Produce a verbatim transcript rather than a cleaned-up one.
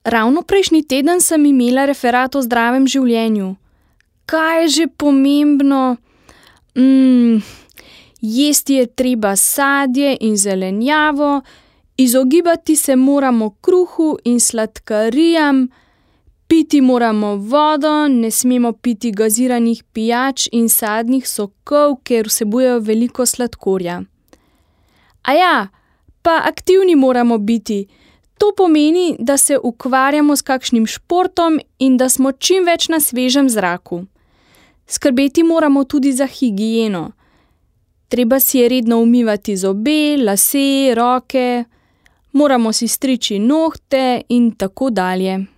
Ravno prejšnji teden sem imela referat o zdravem življenju. Kaj je že pomembno? Mm, jesti je treba sadje in zelenjavo, izogibati se moramo kruhu in sladkarijam, piti moramo vodo, ne smemo piti gaziranih pijač in sadnih sokov, ker vsebujejo veliko sladkorja. Aja, pa aktivni moramo biti. To pomeni, da se ukvarjamo s kakšnim športom in da smo čim več na svežem zraku. Skrbeti moramo tudi za higieno. Treba si je redno umivati zobe, lase, roke, moramo si striči nohte in tako dalje.